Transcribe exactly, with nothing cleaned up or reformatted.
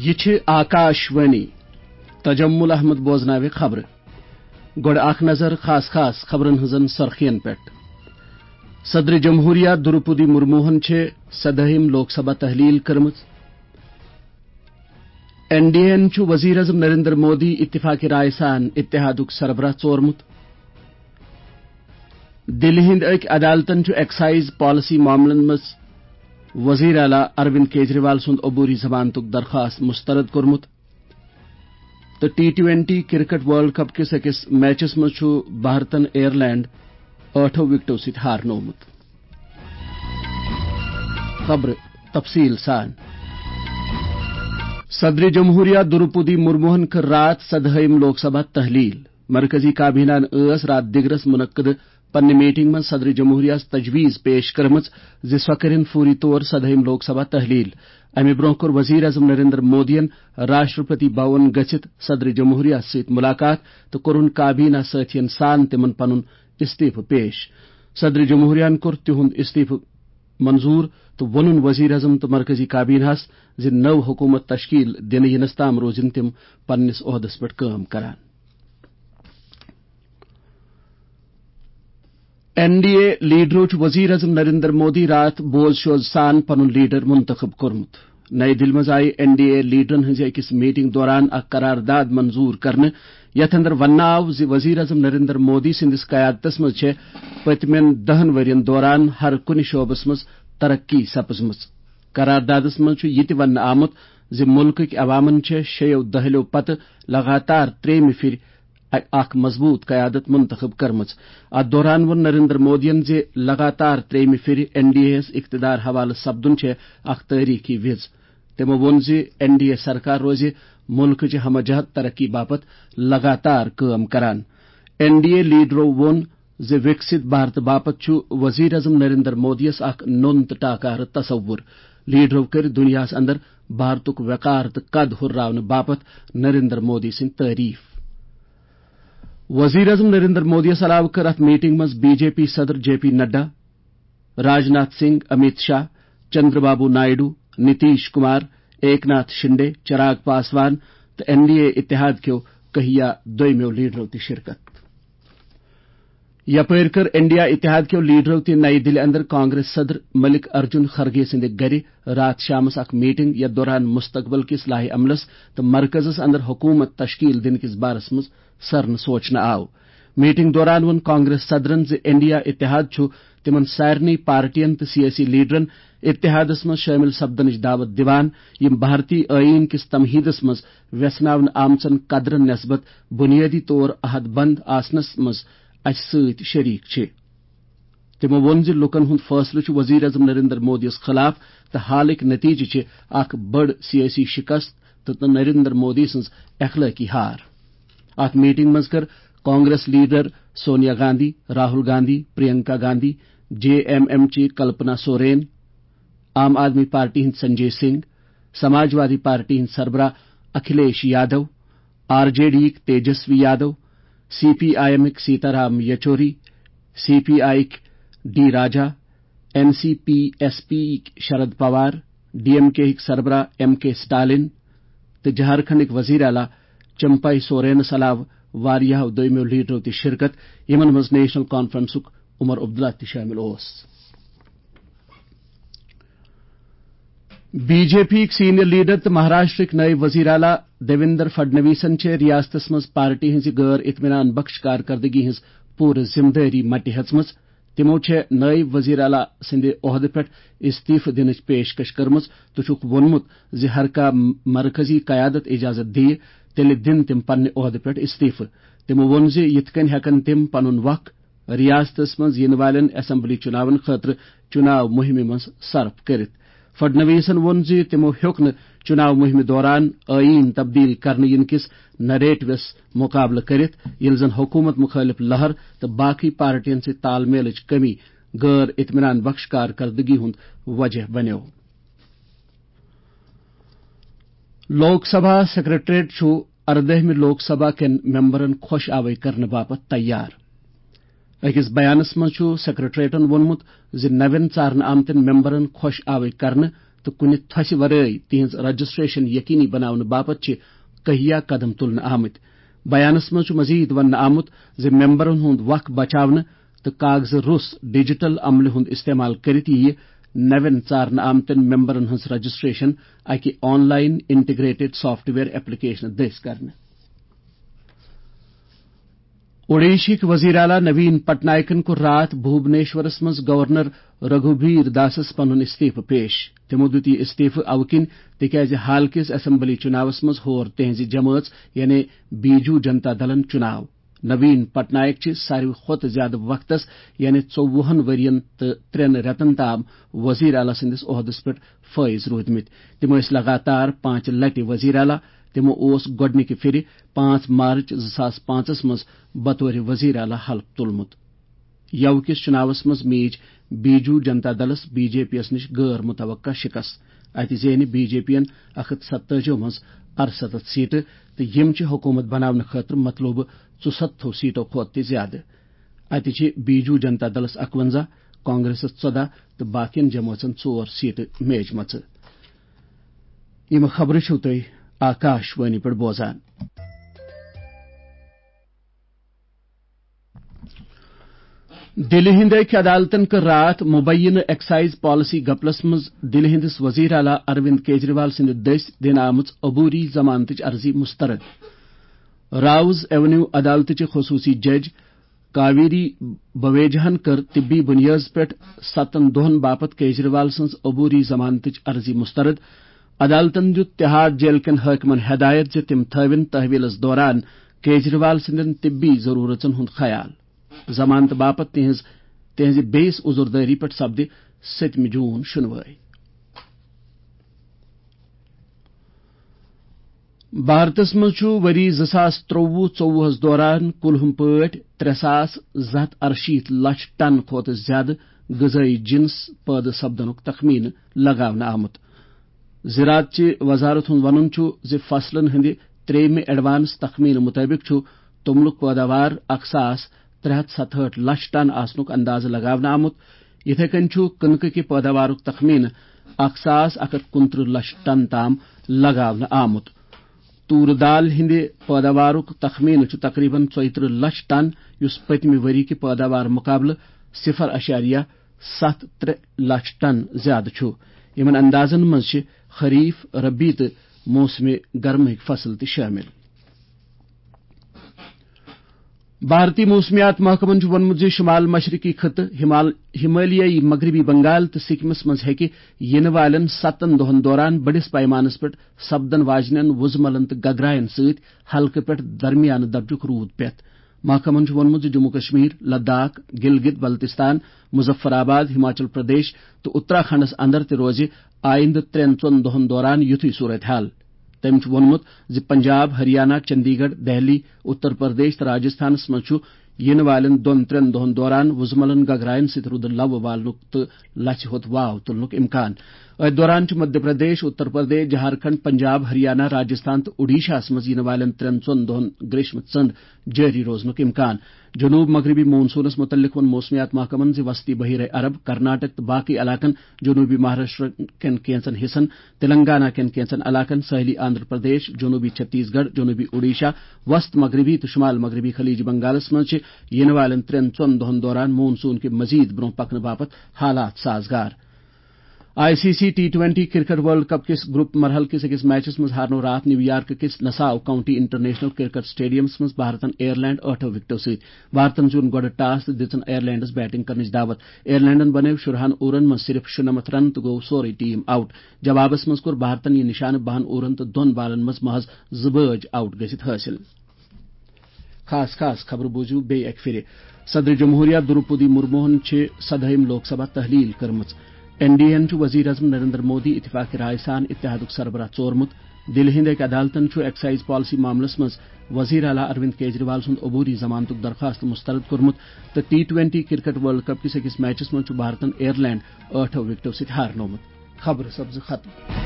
یہِ چھِ آکاش وانی۔ تجمل احمد بوزناوِ خبرٕ۔ گۄڈٕ اکھ نظر خاص خاص خبرن ہٕنٛزن سرخین پٮ۪ٹھ۔ صدر جمہوریہ دروپدی مرموہن چھِ سدٲہِم لوک سبھا تحلیل کٔرمٕژ۔ این ڈی اے ہن چھُ وزیر اعظم نریندر مودی اتفاق رائے سان اتحادُک سربراہ ژورمُت۔ دِلہِ ہٕنٛدۍ أکۍ عدالتن چھُ ایکسائز پالیسی معاملن منٛز وزیر اعلیٰ اروند کیجریوال سُنٛد عبوری ضمانتُک درخواست مسترد کوٚرمُت۔ تہٕ T twenty cricket world cup کِس أکِس میچس منٛز چھُ بھارتن آیرلینڈ ٲٹھو وکٹو سۭتۍ ہارنوومُت۔ خبرٕ تفصیل سان۔ صدر جمہوریہ دروپدی مرموہن کٔر راتھ سدہٲیِم لوک سبھا تحلیل۔ مرکزی کابینہ ہن ٲس راتھ دِگرس منعقد پننہِ میٹنگ منٛز صدر جمہوریہ یس تجویز پیش کٔرمٕژ زِ سۄ کٔرِن فوری طور سدہٲیِم لوک سبھا تحلیل۔ امہِ برونٛہہ کوٚر وزیر اعظم نریندر مودیَن راشٹرپتی بھون گٔژھِتھ صدر جمہوریہ سۭتۍ ملاقات تہٕ کوٚرُن کابینہ سٲتھین سان تِمن پنُن استعفہٕ پیش۔ صدر جمہوریہ ہن کوٚر تِہُنٛد استعفہٕ منظور تہٕ ووٚنُن وزیر اعظم تہٕ مرکزی کابینہ ہس زِ نٔو حکومت تشکیل دِنہٕ یِنس تام روزن تِم پننِس عہدس پٮ۪ٹھ کٲم کران۔ این ڈی اے لیڈرو چھُ وزیر اعظم نریندر مودی راتھ بوز شوز سان پنُن لیڈر منتخب کوٚرمُت۔ نئی دِلہِ منٛز آیہِ این ڈی اے لیڈرن ہٕنٛزِ أکِس میٹنگ دوران اکھ قرارداد منظور کرنہٕ، یتھ اندر وننہٕ آو زِ وزیر اعظم نریندر مودی سٕنٛدِس قیادتس منٛز چھےٚ پٔتمٮ۪ن دَہن ؤرین دوران ہر کُنہِ شعبس منٛز ترقی سپٕزمٕژ۔ قراردادس منٛز چھُ یہِ تہِ وننہٕ آمُت زِ مُلکٕکۍ عوامن چھےٚ شیٚیو دٔہلیو پتہٕ لگاتار ترٛیٚیمہِ پھِرِ اکھ مضبوط قیادت منتخب کٔرمٕژ۔ اتھ دوران ووٚن نریندر مودیَن زِ لگاتار ترٛیٚیمہِ پھِرِ این ڈی اے یَس اقتدار حوالہٕ سپدُن چھےٚ اکھ تٲریخی وِز۔ تِمو ووٚن زِ این ڈی اے سرکار روزِ مُلکٕچہِ ہمہ جہت ترقی باپتھ لگاتار کٲم کران۔ این ڈی اے لیڈرو ووٚن زِ وِکسِت بھارت باپتھ چھُ وزیر اعظم نریندر مودی یَس اکھ نوٚن تہٕ ٹاکارٕ تصور۔ لیڈرو کٔرۍ دُنیاہَس اندر بھارتُک وقار تہٕ قد ہُرراونہٕ باپتھ نریندر مودی سٕنٛدۍ تعریف۔ وزیر اعظم نریندر مودی یَس علاوٕ کٔر اَتھ میٹنگ منٛز بی جے پی صدر جے پی نڈا، راجناتھ سنگھ، امیت شاہ، چندر بابو نائیڈو، نتیش کمار، ایک ناتھ شنڈے، چراغ پاسوان تہٕ این ڈی اے اتحاد کیو کہیا دویمیو لیڈرو تہِ شرکت۔ یپٲرۍ کٔر انڈیا اتحاد کیو لیڈرو تہِ نئی دِلہِ اندر کانگریس صدر ملک ارجن خرگے سٕنٛدِ گرِ راتھ شامس اکھ میٹنگ، یتھ دوران مستقبل کِس لائحہ عملس تہٕ مرکزس اندر حکومت تشکیل دِنہٕ کِس بارس منٛز سرنہٕ سوچنہٕ آو۔ میٹنگ دوران ووٚن کانگریس صدرن زِ انڈیا اتحاد چھُ تِمن سارنٕے پارٹین تہٕ سیٲسی لیڈرن اتحادس منٛز شٲمِل سپدنٕچ دعوت دِوان، یِم بھارتی ٲییٖن کِس تمہیدس منٛز ویژھناونہٕ آمژن قدرن نسبت بنیٲدی طور عہد بند آسنس منٛز اسہِ سۭتۍ شریک چھِ۔ تِمو ووٚن زِ لوٗکَن ہُنٛد فٲصلہٕ چھُ وزیر اعظم نریندر مودی یَس خلاف تہٕ حالٕکۍ نتیجہٕ چھِ اکھ بٔڑ سیٲسی شکست تہٕ نریندر مودی سٕنٛز اخلٲقی ہار۔ اَتھ میٹنگ منٛز کٔر Congress leader Sonia Gandhi, Rahul Gandhi, Priyanka Gandhi, J M M چہِ کلپنا سورین، عام آدمی پارٹی ہٕنٛدۍ سنجے سنگھ، سماجوادی پارٹی ہٕنٛدۍ سربراہ Akhilesh Yadav, R J D یِکۍ Tejashwi Yadav, C P I M یِکۍ Sitaram Yechury, C P I یِکۍ D Raja, N C P S P یِکۍ Sharad Pawar, D M K یِکۍ سربراہ ایم کے سٹالن تہٕ جھارکھنڈٕکۍ وزیر اعلیٰ چمپائی سورینس علاوٕ واریاہو دویمیو لیڈرو تہِ شرکت، یِمن منٛز نیشنل کانفرنسُک عمر عبداللہ تہِ شٲمِل اوس۔ بی جے پی یِکۍ سینئر لیڈر تہٕ مہاراشٹرٕکۍ نٲیِب وزیر اعلیٰ دیویندر فڈنویسن چھےٚ ریاستس منٛز پارٹی ہٕنٛزِ غٲر اطمینان بخش کارکردگی ہٕنٛز پوٗرٕ ذمہٕ دٲری مٹہِ ہیژمٕژ۔ تِمو چھےٚ نٲیِب وزیر اعلیٰ سٕنٛدِ عہدٕ پٮ۪ٹھ استعفہٕ دِنٕچ پیشکش کٔرمٕژ تہٕ چھُکھ ووٚنمُت زِ ہر کانٛہہ مرکزی قیادت اجازت دِیہِ، تیٚلہِ دِن تِم پننہِ عہدٕ پٮ۪ٹھ استعفہٕ۔ تِمو ووٚن زِ یِتھ کٔنۍ ہٮ۪کن تِم پنُن وق ریاستس منٛز یِنہٕ والٮ۪ن اسمبلی چُناون خٲطرٕ چُناو مُہِمہِ منٛز صرف کٔرِتھ۔ فڈنویسن ووٚن زِ تِمو ہیوٚک نہٕ چُناو مُہِمہِ دوران ٲییٖن تبدیل کرنہٕ یِنہٕ کِس نریٹوس مُقابلہٕ کٔرِتھ، ییٚلہِ زن حکوٗمت مُخٲلِف لہر تہٕ باقٕے پارٹین سۭتۍ تال میلٕچ کٔمی غٲر اطمینان بخش کارکردگی ہُنٛد وجہ بنیو۔ لوک سبھا سیکرٹریٹ چھُ اردٲہمہِ لوک سبھا کٮ۪ن ممبرن خۄش آوے کرنہٕ باپتھ تیار۔ أکِس بیانس منٛز چھُ سیکرٹریٹن ووٚنمُت زِ نوٮ۪ن ژارنہٕ آمتٮ۪ن ممبرن خۄش آوے کرنہٕ تہٕ کُنہِ تھۄسہِ ورٲے تِہنٛز رجسٹریشن یقینی بناونہٕ باپتھ چھِ کہیا قدم تُلنہٕ آمٕتۍ۔ بیانس منٛز چھُ مزید وننہٕ آمُت زِ ممبرن ہُنٛد وق بچاونہٕ تہٕ کاغذٕ روٚس ڈیجیٹل عملہِ ہُنٛد استعمال کٔرِتھ یِیہِ نوٮ۪ن ژارنہٕ آمتٮ۪ن ممبرن ہٕنٛز رجسٹریشن اکہِ online integrated software ایپلیکیشنہٕ دٔسۍ کرنہٕ۔ اوڈیشہٕکۍ وزیر اعلیٰ نوین پٹنائکن کوٚر راتھ بھوبنیشورس منٛز گورنر رگھوبیر داسس پنُن استعفہٕ پیش۔ تِمو دیُت یہِ استعفہٕ اَوٕ کِنۍ تِکیازِ حال کِس اسمبلی چُناوس منٛز ہور تِہنٛزِ جمٲژ یعنی بیجو جنتا دلن چُناو۔ نوین پٹنائک چھِ ساروی کھۄتہٕ زیادٕ وقتس یعنی ژوٚوُہن ؤرین تہٕ ترٛٮ۪ن رٮ۪تن تام وزیر اعلیٰ سٕنٛدِس عہدس پٮ۪ٹھ فٲیِز روٗدمٕتۍ۔ تِم ٲسۍ لگاتار پانٛژِ لٹہِ وزیر اعلیٰ۔ تِمو اوس گۄڈٕنِکہِ پھِرِ پانٛژھ مارچ زٕ ساس پانٛژس منٛز بطور وزیر اعلیٰ حلف تُلمُت۔ یَوٕ کِس چُناوس منٛز میٖج بیجو جنتا دلس بی جے پی یَس نِش غٲر متوقع شِکست۔ اَتہِ زینہِ بی جے پی یَن اکھ ہَتھ ستٲجی منٛز اَرسَتتھ سیٹہٕ تہٕ یِم چھِ حکوٗمت بناونہٕ خٲطرٕ مطلوبہٕ ژُسَتتھو سیٹو کھۄتہٕ تہِ زیادٕ۔ اَتہِ چھِ بیجو جنتا دلس اَکوَنزاہ، کانگریسس ژۄداہ تہٕ باقین جمٲژن ژور سیٹہٕ میجمژٕ۔ یِم خبرٕ چھِو تُہۍ آکاش وانی پٮ۪ٹھ بوزان۔ دِلہِ ہِنٛدِ أکۍ عدالتَن کٔر راتھ مُبینہٕ ایکسائز پالیسی گپلس منٛز دِلہِ ہِنٛدِس وزیر اعلیٰ اروند کیجریوال سٕنٛدِ دٔسۍ دِنہٕ آمٕژ عبوری ضمانتٕچ عرضی مسترد۔ راوز ایونیو عدالتٕچہِ خصوٗصی جج کاویری بویجہن کٔر طبی بُنیٲدس پٮ۪ٹھ ستن دۄہن باپتھ کیجریوال سٕنٛز عبوری ضمانتٕچ عرضی مسترد۔ عدالتَن دیُت تہاڑ جیل کٮ۪ن حٲکمَن ہدایت زِ تِم تھٲوِن تحویلَس دوران کیجریوال سٕنٛدٮ۪ن طبی ضروٗرژن ہُنٛد خیال۔ ضمانتہٕ باپتھ تِہنٛز، تِہنٛزِ بیٚیِس عذردٲری پٮ۪ٹھ سپدِ سٔتمہِ جوٗن شُنوٲے۔ بھارتس منٛز چھُ ؤری زٕ ساس ترٛۆوُہ ژۄوُہس دوران کُلہُم پٲٹھۍ ترٛےٚ ساس زٕ ہَتھ اَرشیٖتھ لچھ ٹن کھۄتہٕ زِیٛادٕ غذٲیی جنس پٲدٕ سپدنُک تخمینہٕ لگاونہٕ آمُت۔ زراعت چہِ وزارت ہُنٛد وَنُن چھُ زِ فصلن ہٕنٛدِ ترٛیٚیِمہِ ایڈوانس تخمینہٕ مُطٲبِق چھُ توٚملُک پٲداوار اکھ ساس ترٛےٚ ہَتھ ستہٲٹھ لچھ ٹن آسنُک اندازٕ لگاونہٕ آمُت۔ یِتھے کٔنۍ چھُ کٕنکہٕ کہِ پٲداوارُک تخمینہٕ اکھ ساس اکھ ہَتھ کُنترٕہ لچھ ٹن تام لگاونہٕ آمُت۔ تورٕ دال ہٕنٛدِ پٲداوارُک تخمینہٕ چھُ تقریباً ژۄیہِ ترٕٛہ لچھ ٹن، یُس پٔتمہِ ؤری کہِ پٲداوار مُقابلہٕ صفر اعشاریہ ستھ ترٛےٚ لچھ ٹن زیادٕ چھُ۔ یِمَن اندازَن منٛز چھِ خریف، ربی تہٕ موسمِ گرمٕکۍ فصل تہِ شٲمِل۔ بھارتی موسمیات محکمَن چھُ ووٚنمُت زِ شمال مشرقی خطہٕ، ہمال-، ہمالیائی مغربی بنگال تہٕ سکمس منٛز ہیٚکہِ یِنہٕ والٮ۪ن ستن دۄہَن دوران بٔڑِس پیمانَس پٮ۪ٹھ سپدن واجنٮ۪ن وُزملن تہٕ گگراین سۭتۍ ہلکہٕ پٮ۪ٹھ درمیانہٕ درجُک روٗد پٮ۪تھ۔ محکمَن چھُ ووٚنمُت زِ جموں کشمیر، لداخ، گلگت بلتستان، مظفر آباد، ہماچل پردیش تہٕ اتراکھنڈس اندر تہِ روزِ آئندٕ ترٛٮ۪ن ژۄن دۄہَن دوران یُتھُے صورت حال۔ تٔمۍ چھُ ووٚنمُت زِ پنجاب، ہریانہ، چندی گڑھ، دہلی، اتر پردیش تہٕ راجستھانس منٛز چھُ یِنہٕ والٮ۪ن دۄن ترٛٮ۪ن دۄہَن دوران وُزملن گگراین سۭتۍ رُدٕ لَوٕ والنُک تہٕ لژھِ ہوٚت واو تُلنُک امکان۔ أتھۍ دوران چھُ مدھیہ پردیش، اتر پردیش، جھارکھنڈ، پنجاب، ہریانہ، راجستھان تہٕ اوڈیشاہَس منٛز یِنہٕ والٮ۪ن ترٛٮ۪ن ژۄن دۄہَن گریشمہٕ ژٔنٛڈ جٲری روزنُک امکان۔ جنوب مغربی مون سونس متعلق ووٚن موسمیات محکمن زِ وسطی بحیرہ عرب، کرناٹک تہٕ باقی علاقن، جنوبی مہاراشٹر کٮ۪ن کینٛژن حصن، تلنگانہ کٮ۪ن کینٛژن علاقن، ساحلی آندھرا پردیش، جنوبی چھتیس گڑھ، جنوبی اوڈیشہ، وسط مغربی تہٕ شمال مغربی خلیج بنگالس منٛز چھِ یِنہٕ والٮ۪ن ترٛٮ۪ن ژۄن دۄہن دوران مون سون کہِ مزید برونٛہہ پکنہٕ باپتھ حالات سازگار۔ I C C T twenty cricket world cup کِس گروپ مرحلہٕ کِس أکِس میچس منٛز ہارنوو راتھ نیو یارک کِس نساو کاؤنٹی انٹرنیشنل کرکٹ سٹیڈیمس منٛز بھارتن آیرلینڈ ٲٹھو وکٹو سۭتۍ۔ بھارتن زیوٗن گۄڈٕ ٹاس تہٕ دِژن آیرلینڈس بیٹنگ کرنٕچ دعوت۔ آیرلینڈن بنٲوۍ شُرہن اورن منٛز صرف شُنَمَتھ رن تہٕ گوٚو سورُے ٹیم آؤٹ۔ جوابس منٛز کوٚر بھارتن یہِ نشانہٕ بَہَن اورن تہٕ دۄن بالن منٛز محض زٕ بٲج آؤٹ گٔژھِتھ حٲصِل۔ خاص خاص خبرٕ بوٗزِو بیٚیہِ اَکہِ پھِرِ۔ صدر جمہوریہ دروپدی مرموہن چھِ سدہٲیِم لوک سبھا تحلیل کٔرمٕژ۔ این ڈی اے ہن چھُ وزیر اعظم نریندر مودی اتفاق رائے سان اتحادُک سربراہ ژورمُت۔ دِلہِ ہٕنٛدِ أکۍ عدالتن چھُ ایکسائز پالیسی معاملس منٛز وزیر اعلیٰ اروند کیجریوال سُنٛد عبوری ضمانتُک درخواست مسترد کوٚرمُت تہٕ T twenty cricket world cup کِس أکِس میچس منٛز چھُ بھارتن آیرلینڈ ٲٹھو وکٹو سۭتۍ ہارنوومُت۔ خبرٕ سپزٕ ختم۔